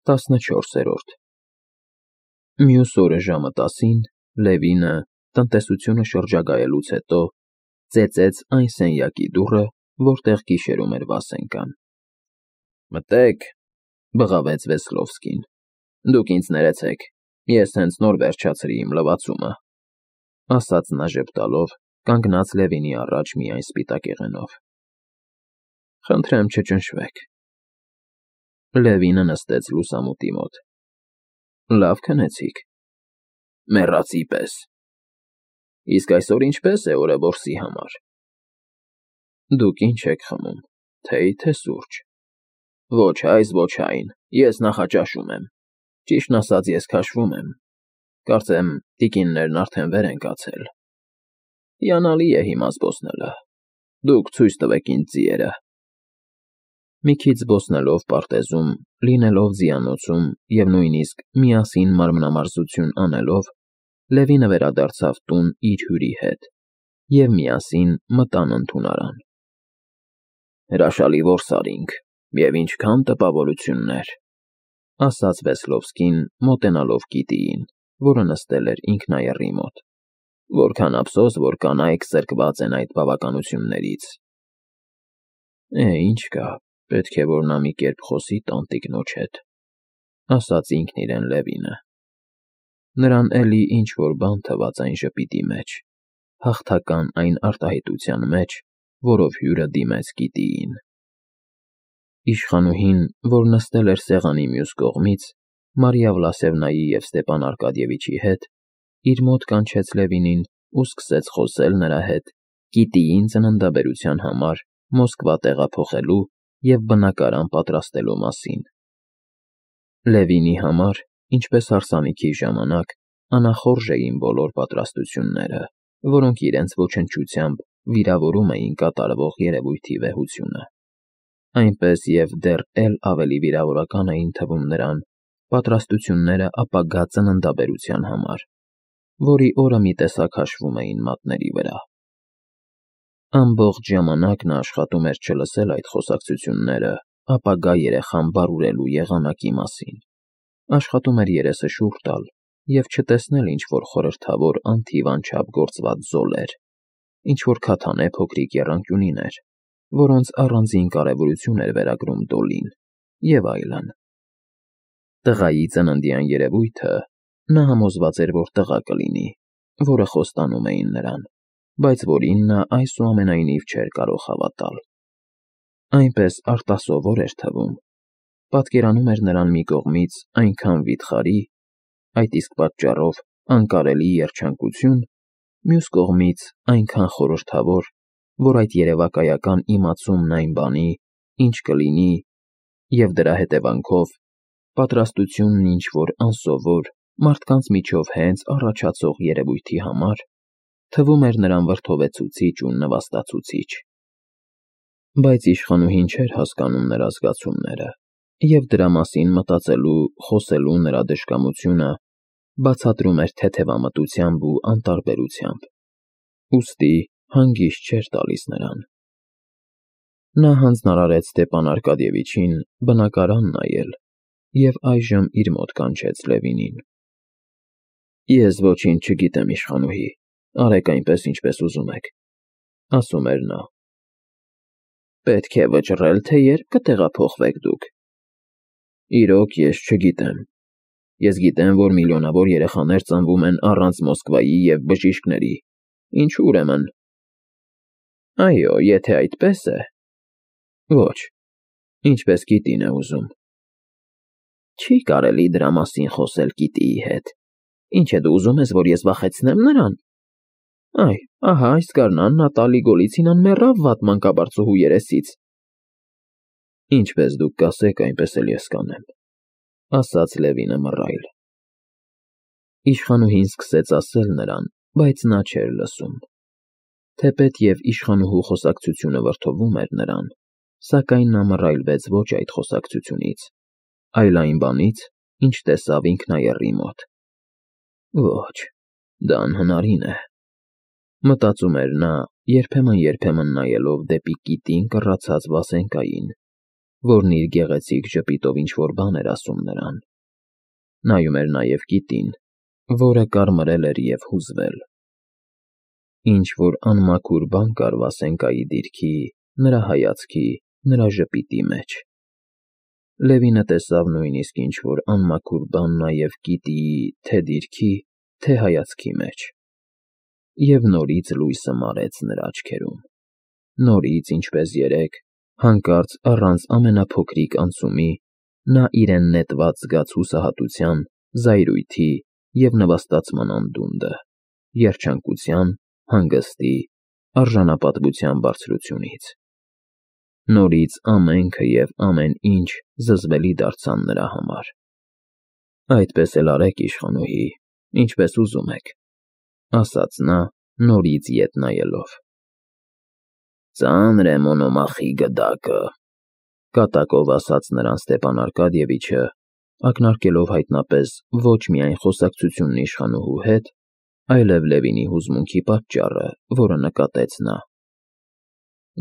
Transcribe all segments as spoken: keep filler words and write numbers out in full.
տասնչորսերորդ Մյուս օրը ժամը տասին Լևինը, տնտեսությունը շրջագայելուց հետո, ծեծեց այն սենյակի դուռը, որտեղ գիշերում էր Վասենկան։ ֊ Մտե՛ք,֊ բղավեց Վեսլովսկին։ Դուք ինձ ներեցեք, ես հենց նոր վերջացրի իմ լվացումը,֊ ասաց նա ժպտալով, կանգնած Լևինի առաջ միայն սպիտակեղենով։ Խնդրեմ չճնշվեք։ Լևինը նստեց լուսամուտի մոտ։ Լավ քնեցիք։ Մեռածի պես։ Իսկ այսօր ինչպե՞ս է օրը որսի համար։ Դուք ինչ եք խմում, թեյ թե սուրճ։ Ոչ այս, ոչ այն, ես նախաճաշում եմ։ Ճիշտն ասած, ես քաշվում եմ։ Կարծեմ, տիկիններն արդեն վեր են կացել։ Հիանալի է հիմա զբոսնելը։ Դուք ցույց տվեք ինձ ձիերը։ Մի քիչ զբոսնելով պարտեզում, լինելով ձիանոցում և նույնիսկ միասին մարմնամարզություն անելով, Լևինը վերադարձավ տուն իր հյուրի հետ և միասին մտան ընդունարան։ Հրաշալի որս արինք, և ինչքան տպավորություններ,֊ ասաց Վեսլովսկին, մոտենալով Կիտիին, որը նստել էր ինքնաեռի մոտ։ Որքան ափսոս, որ կանայք զրկված են այդ բավականություններից։ Է, ինչ կա, պետք է, որ նա մի կերպ խոսի տանտիկնոջ հետ,֊ ասաց ինքն իրեն Լևինը։ Նրան էլի ինչ֊որ բան թվաց այն ժպիտի մեջ, հաղթական այն արտահայտության մեջ, որով հյուրը դիմեց Կիտիին։ Իշխանուհին, որ նստել էր սեղանի մյուս կողմից, Մարիա Վլասևնայի և Ստեպան Արկադիևիչի հետ, իր մոտ կանչեց Լևինին ու սկսեց խոսել նրա հետ Կիտիին ծննդաբերության համար Մոսկվա տեղափոխելու և բնակարան պատրաստելու մասին։ Լևինի համար, ինչպես հարսանիքի ժամանակ, անախորժ էին բոլոր պատրաստությունները, որոնք իրենց ոչնչությամբ վիրավորում էին կատարվող երևույթի վեհությունը։ Այնպես և դեռ էլ ավելի վիրավորական էին թվում նրան պատրաստությունները ապագա ծննդաբերության համար, որի օրը մի տեսակ հաշվում էին մատների վրա։ Ամբողջ ժամանակ նա աշխատում էր չլսել այդ խոսակցությունները ապագա երեխան բարուրելու եղանակի մասին, աշխատում էր երեսը շուռ տալ և չտեսնել ինչ-որ խորհրդավոր անթիվ անչափ գործված զոլեր, ինչ-որ քաթանե փոքրիկ եռանկյունիներ, որոնց առանձին կարևորություն էր վերագրում Դոլին, և այլն։ Տղայի ծննդյան երևույթը նա համոզված էր, որ տղա կլինի, որը խոստանում էին նրան, բայց որին նա այսուամենայնիվ չէր կարող հավատալ։ Այնպես արտասովոր էր թվում, պատկերանում էր նրան մի կողմից այնքան վիթխարի, այդ իսկ պատճառով անկարելի երջանկություն, մյուս կողմից այնքան խորհրդավոր, որ այդ երևակայական իմացումն այն բանի, ինչ կլինի, և դրա հետևանքով պատրաստությունն ինչ-որ անսովոր, մարդկանց միջով հենց առաջացող երևույթի համար, թվում էր նրան վրդովեցուցիչ ու նվաստացուցիչ։ Բայց իշխանուհին չէր հասկանում նրա զգացումները, և դրա մասին մտածելու, խոսելու նրա դժկամությունը բացատրում էր թեթևամտությամբ ու անտարբերությամբ, ուստի հանգիստ չէր տալիս նրան։ Նա հանձնարարեց Ստեպան Արկադիևիչին բնակարան նայել և այժմ իր մոտ կանչեց Լևինին։ Ես ոչինչ չգիտեմ, իշխանուհի, արեք այնպես, ինչպես ուզում եք,֊ ասում էր նա։ Պետք է վճռել, թե ե՞րբ կտեղափոխվեք դուք։ Իրոք, ես չգիտեմ։ Ես գիտեմ, որ միլիոնավոր երեխաներ ծնվում են առանց Մոսկվայի և բժիշկների, ինչու ուրեմն։ Այո, եթե այդպես է… Ոչ, ինչպես Կիտին է ուզում։ Չի կարելի դրա մասին խոսել Կիտիի հետ։ Ինչ է, դու ուզում ես, որ ես վախեցնե՞մ նրան։ Այ, ահա այս գարնան Նատալի Գոլիցինան մեռավ վատ մանկաբարձուհու երեսից։ Ինչպես դուք կասեք, այնպես էլ ես կանեմ,֊ ասաց Լևինը մռայլ։ Իշխանուհին սկսեց ասել նրան, բայց նա չէր լսում։ Թեպետ և իշխանուհու խոսակցությունը վրդովում էր նրան, սակայն նա մռայլվեց ոչ այդ խոսակցությունից, այլ այն բանից, ինչ տեսավ ինքնաեռի մոտ։ Ոչ, դա անհնարին է,֊ մտածում էր նա, երբեմն֊երբեմն նայելով դեպի կիտին կռացած Վասենկային, որն իր գեղեցիկ ժպիտով ինչ-որ բան էր ասում նրան։ Նայում էր նաև կիտին, որը կարմրել էր և հուզվել։ Ինչ-որ անմաքուր բան կար Վասենկայի դիրքի, նրա հայացքի, նրա ժպիտի մեջ։ Լևինը տեսավ նույնիսկ ինչ-որ անմաքուր բան նաև կիտիի թե՛ դիրքի, թե՛ հայացքի մեջ։ Եվ նորից լույսը մարեց նրա աչքերում։ Նորից, ինչպես երեկ, հանկարծ առանց ամենափոքրիկ անցումի, նա իրեն նետված զգաց հուսահատության, զայրույթի և նվաստացման անդունդը, երջանկության, հանգստի, արժանապատվության բարձրությունից։ Նորից ամենքը և ամեն ինչ զզվելի դարձան նրա համար։ Այդպես էլ արեք, իշխանուհի, ինչպես ուզում եք, ասաց նա, նորից ետ նայելով։ Ծանր է Մոնոմախի գդակը, կատակով ասաց նրան Ստեպան Արկադիևիչը, ակնարկելով հայտնապես ոչ միայն խոսակցությունն իշխանուհու հետ, այլև Լևինի հուզմունքի պատճառը, որը նկատեց նա։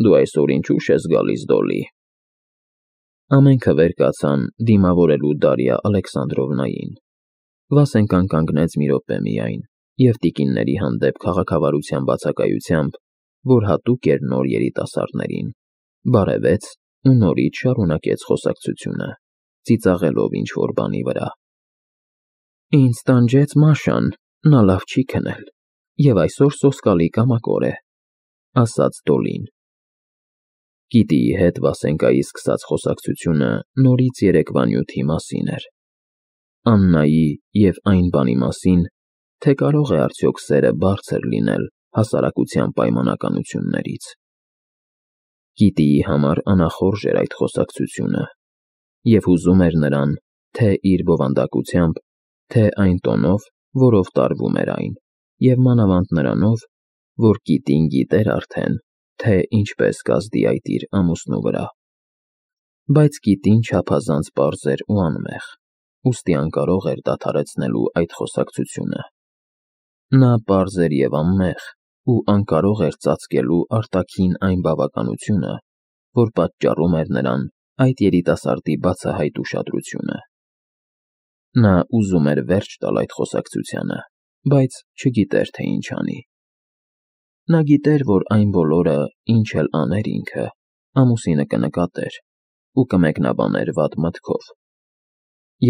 Դու այսօր ինչու՞ չես գալիս, Դոլլի։ Ամենքը վեր կացան դիմավորելու Դարիա Ալեքսանդրովնային։ Վասենկան կանգնեց մի րոպե միայն և տիկինների հանդեպ քաղաքավարության բացակայությամբ, որ հատուկ էր նոր երիտասարդներին, բարևեց ու նորից շարունակեց խոսակցությունը, ծիծաղելով ինչ֊որ բանի վրա։ Ինձ տանջեց Մաշան, նա լավ չի քնել, և այսօր սոսկալի կամակոր է, ասաց Դոլլին։ Կիտիի հետ Վասենկայի սկսած խոսակցությունը նորից երեկվա նյութի մասին էր։ Աննայի և այն բանի մասին, թե կարո՞ղ է արդյոք սերը բարձր լինել հասարակության պայմանականություններից։ Կիտիի համար անախորժ էր այդ խոսակցությունը, և հուզում էր նրան թե՛ իր բովանդակությամբ, թե՛ այն տոնով, որով տարվում էր այն, և մանավանդ նրանով, որ կիտին գիտեր արդեն, թե ինչպես կազդի այդ իր ամուսնու վրա։ Բայց կիտին չափազանց պարզ էր ու անմեղ, ուստի անկարող էր դադարեցնելու այդ խոսակցությունը։ Նա պարզ էր և անմեղ ու անկարող էր ծածկելու արտաքին այն բավականությունը, որ պատճառում էր նրան այդ երիտասարդի բացահայտ ուշադրությունը։ Նա ուզում էր վերջ տալ այդ խոսակցությանը, բայց չգիտեր, թե ինչ անի։ Նա գիտեր, որ այն բոլորը, ինչ էլ աներ ինքը, ամուսինը կնկատեր ու կմեկնաբաներ վատ մտքով։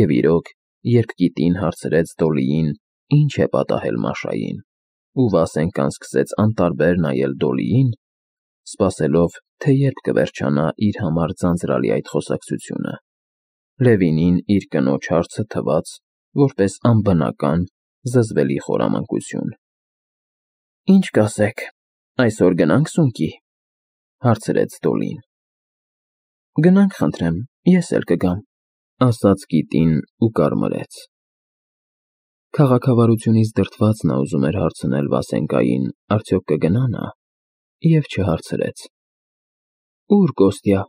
Եվ իրոք, երբ կիտին հարցրեց Դոլլիին, ինչ է պատահել Մաշային, ու Վասենկան սկսեց անտարբեր նայել Դոլլիին, սպասելով, թե երբ կվերջանա իր համար ձանձրալի այդ խոսակցությունը, Լևինին իր կնոջ հարցը թվաց որպես անբնական, զզվելի խորամանկություն։ Ինչ կասեք, այսօր գնա՞նք սունկի, հարցրեց Դոլլին։ Գնանք, խնդրեմ, ես էլ կգամ, ասաց կիտին ու կարմրեց։ Քաղաքավարությունից դրդված նա ուզում էր հարցնել Վասենկային արդյոք կգնա՞ նա, և չհարցրեց։ Ո՞ւր Կոստյա։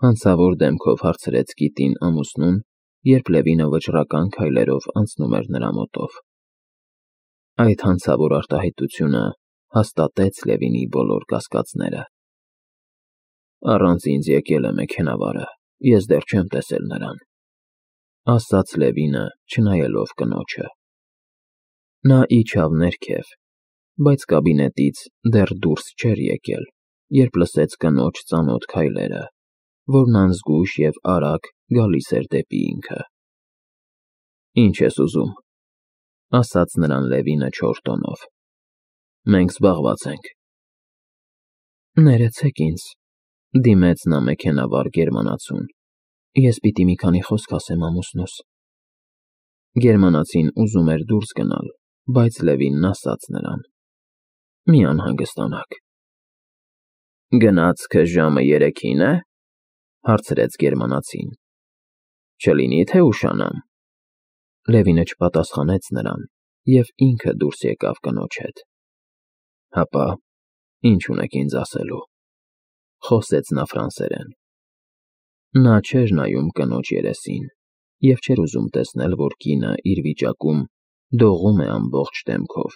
Հանցավոր դեմքով հարցրեց կիտին ամուսնուն, երբ Լևինը վճռական քայլերով անցնում էր նրա մոտով։ Այդ հանցավոր արտահայտությունը հաստատեց Լևինի բոլոր կասկածները։ Առանց ինձ եկել է մեքենավարը, ես դեռ չեմ տեսել նրան, ասաց Լևինը, չնայելով կնոջը։ Նա իջավ ներքև, բայց կաբինետից դեռ դուրս չէր եկել, երբ լսեց կնոջ ծանոթ քայլերը, որն անզգույշ և արագ գալիս էր դեպի ինքը։ Ինչ ես ուզում, ասաց նրան Լևինը չոր տոնով։ Մենք զբաղված ենք։ Ներեցեք ինձ, դիմեց նա մեքենավար գերմանացուն, ես պիտի մի քանի խոսք ասեմ ամուսնուս։ Գերմանացին ուզում էր դուրս գնալ, բայց Լևինն ասաց նրան. Մի անհանգստանաք։ Գնացքը ժամը երեքին է, հարցրեց գերմանացին։ Չլինի թե ուշանամ։ Լևինը չպատասխանեց նրան և ինքը դուրս եկավ կնոջ հետ։ Հապա, ինչ ունեք ինձ ասելու, խոսեց նա ֆրանսերեն։ Նա չէր նայում կնոջ երեսին և չէր ուզում տեսնել, որ կինը իր վիճակում դողում է ամբողջ դեմքով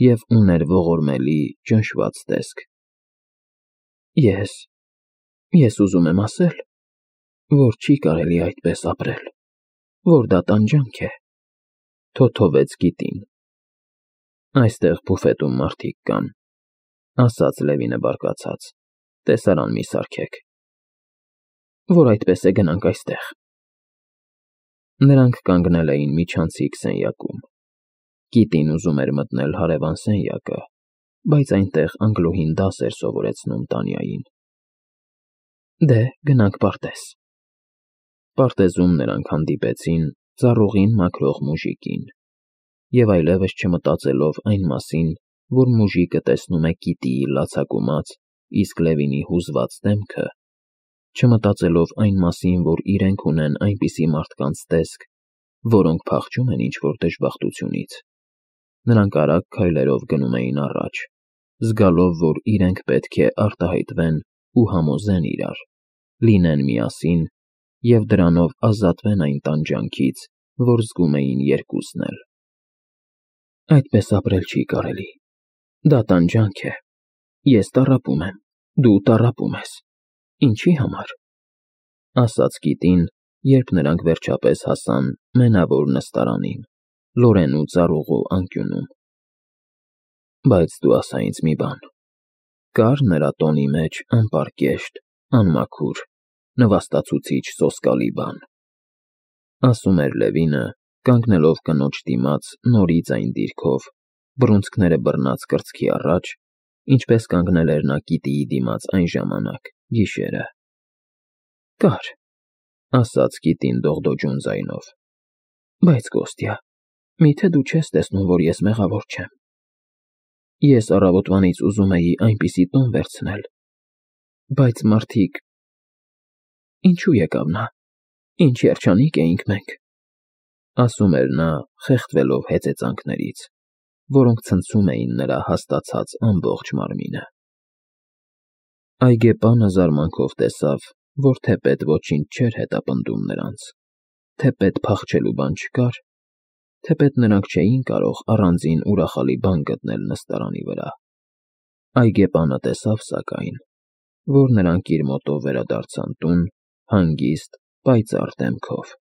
և ուներ ողորմելի, ճնշված տեսք։ Ես։ Ես ուզում եմ ասել, որ չի կարելի այդպես ապրել, որ դա տանջանք է,֊ թոթովեց Կիտին։ Այստեղ բուֆետում մարդիկ կան,֊ ասաց Լևինը բարկացած,֊ տեսարան մի սարքեք։ Որ այդպես է, գնանք այստեղ։ Նրանք կանգնել էին միջանցիկ սենյակում։ Կիտին ուզում էր մտնել հարևան սենյակը, բայց այնտեղ անգլուհին դաս էր սովորեցնում Տանյային։ Դե, գնանք պարտեզ։ Պարտեզում նրանք հանդիպեցին ծառուղին մաքրող մուժիկին, և այլևս չմտածելով այն մասին, որ մուժիկը տեսնում է Կիտիի լացակումած, իսկ Լևինի հուզված դեմքը, չմտածելով այն մասին, որ իրենք ունեն այնպիսի մարդկանց տեսք, որոնք փախչում են ինչ-որ դժբախտությունից, նրանք արագ քայլերով գնում էին առաջ, զգալով, որ իրենք պետք է արտահայտվեն ու համոզեն իրար, լինեն միասին և դրանով ազատվեն այն տանջանքից, որ զգում էին երկուսն էլ։ Այդպես ապրել չի կարելի։ Դա տանջանք է։ Ես տառապում եմ, դու տառապում ես։ Ինչի համար,֊ ասաց Կիտին, երբ նրանք վերջապես հասան մենավոր նստարանին, Լորենու ծառուղու անկյունում։ Բայց դու ասա ինձ մի բան. կա՞ր նրա տոնի մեջ անպարկեշտ, անմաքուր, նվաստացուցիչ սոսկալի բան,֊ ասում էր Լևինը, կանգնելով կնոջ դիմաց նորից այն դիրքով, բռունցքները բռնած կրծքի առաջ, ինչպես կանգնել էր նա Կիտիի դիմաց այն ժամանակ, գիշերը։ Կար,֊ ասաց Կիտին դողդոջուն ձայնով,֊ բայց, Կոստյա, միթե դու չես տեսնում, որ ես մեղավոր չեմ։ Ես առավոտվանից ուզում էի այնպիսի տոն վերցնել, բայց մարդիկ… Ինչու եկավ նա, ինչ երջանիկ էինք մենք,֊ ասում էր նա, խեղդվելով հեծեծանքներից, որոնք ցնցում էին նրա հաստացած ամբողջ մարմինը։ Այգեպանը զարմանքով տեսավ, որ թեպետ ոչինչ չէր հետապնդում նրանց, թեպետ փախչելու բան չկար, թեպետ նրանք չէին կարող առանձին ուրախալի բան գտնել նստարանի վրա, այգեպանը տեսավ, սակայն, որ նրանք իր մոտով վերադարձան տուն հանգիստ, պայծառ դեմքով։